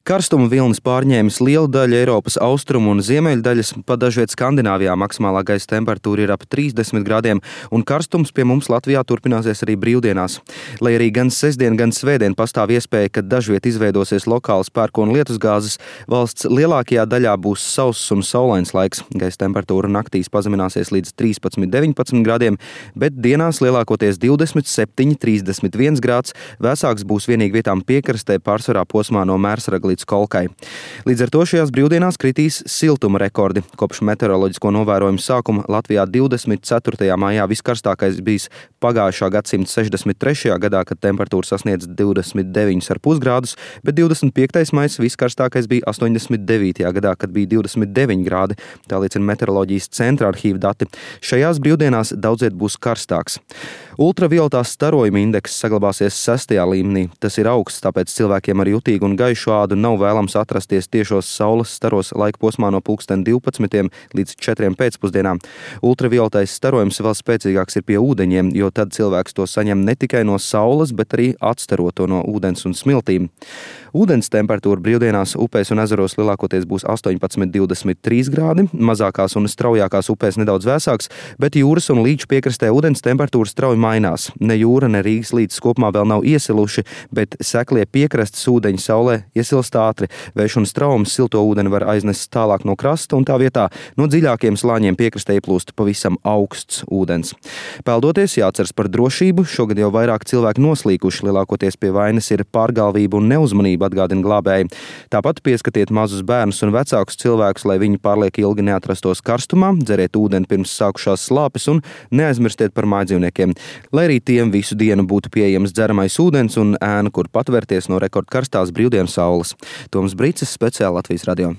Karstuma vilnis pārņēmis lielu daļu Eiropas austrumu un ziemeļu daļas, pa dažviet Skandināvijā maksimālā gaisa temperatūra ir ap 30 grādiem, un karstums pie mums Latvijā turpināsies arī brīvdienās. Lai arī gan sestdien, gan svētdien pastāv iespēja, ka dažviet izveidosies lokāls pērkona lietusgāzes, valsts lielākajā daļā būs sauss un saulains laiks. Gaisa temperatūra naktīs pazemināsies līdz 13–19 grādiem, bet dienās lielākoties 27–31 grāds, vēsāks būs vienīgi vietām piekrastē, pārsvarā posmā no Mērsraga līdz Kolkai. Līdz ar to šajās brīvdienās kritīs siltuma rekordi. Kopš meteoroloģisko novērojumu sākuma Latvijā 24. maijā viskarstākais bijis pagājušā gadsimta 63. gadā, kad temperatūra sasniedz 29,5 grādus, bet 25. maijs viskarstākais bija 89. gadā, kad bija 29 grādi. Tā liecina meteoroloģijas centra arhīva dati. Šajās brīvdienās daudziet būs karstāks. Ultravioletās starojuma indeks saglabāsies 6. līmenī. Tas ir augsts, tāpēc cilvēkiem ar jutīgu un gaišu ādu nav vēlams atrasties tiešos saules staros laika posmā no 12 līdz 4 pēcpusdienā. Ultravioletais starojums vēl spēcīgāks ir pie ūdeņiem, jo tad cilvēks to saņem ne tikai no saules, bet arī atstaro to no ūdens un smiltīm. Ūdens temperatūra brīvdienās upēs un ezeros lielākoties būs 18–23 grādi, mazākās un straujākās upēs nedaudz vēsāks, bet jūras un līča piekrastē ūdens temperatūra strauji mainās. Ne jūra, ne Rīgas līcis kopumā vēl nav iesiluši, bet seklie piekrastes ūdeņi saulē iesilst ātri. Vējš un straums silto ūdeni var aiznest tālāk no krasta, un tā vietā no dziļākiem slāņiem piekrastē ieplūst pavisam augsts ūdens. Peldoties jāatceras par drošību, šogad jau vairāk cilvēki noslīkuši, lielākoties pie vainas ir pārgalvība un neuzmanība, atgādina glābēji. Tāpat pieskatiet mazus bērnus un vecākus cilvēkus, lai viņi pārliek ilgi neatrastos karstumā, dzeriet ūdeni pirms sākušās slāpes un neaizmirstiet par mājdzīvniekiem. Lai arī tiem visu dienu būtu pieejams dzeramais ūdens un ēna, kur patvērties no rekordkarstās brīvdienu saules. Toms Brīcis, speciāli Latvijas radio.